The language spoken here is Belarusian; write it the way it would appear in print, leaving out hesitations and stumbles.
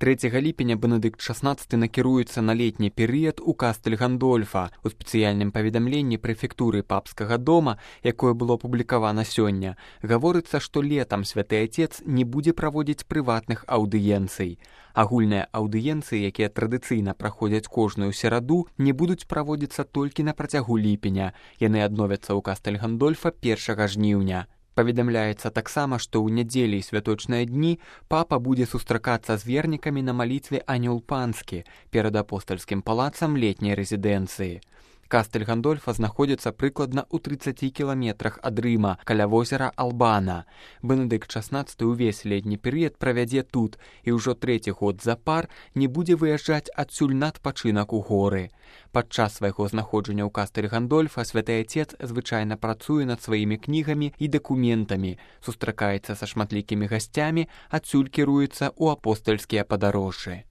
3 ліпеня Бенедыкт XVI накіруецца на летні перыяд у Кастэль Гандольфа. У спецыяльным паведамленні прэфектуры папскага дома, якое было апублікавана сёння, гаворыцца, што летам святы Отец не будзе праводзіць прыватных аўдыенцый. Агульныя аўдыенцыі, якія традыцыйна праходзяць кожную сераду, не будуць праводзіцца толькі на працягу ліпеня. Яны адновяцца ў Кастэль Гандольфа 1 жніўня. Паведамляецца таксама, што ў нядзелі і святочныя дні папа будзе сустракацца з вернікамі на малітве Анёл Панскі перад апостальскім палацам летняй рэзідэнцыі. Кастэль Гандольфа знаходзіцца прыкладна ў 30 кіламетрах ад Рыма, каля возера Албана. Бенедыкт XVI ўвесь летні перыяд правядзе тут і ўжо 3-й год запар не будзе выязджаць адсюль на адпачынак у горы. Падчас свайго знаходжання ў Кастэль Гандольфа святы Отец звычайна працуе над сваімі кнігамі і дакументамі, сустракаецца са шматлікімі гасцямі, адсюль кіруецца ў апостальскія падарожжы.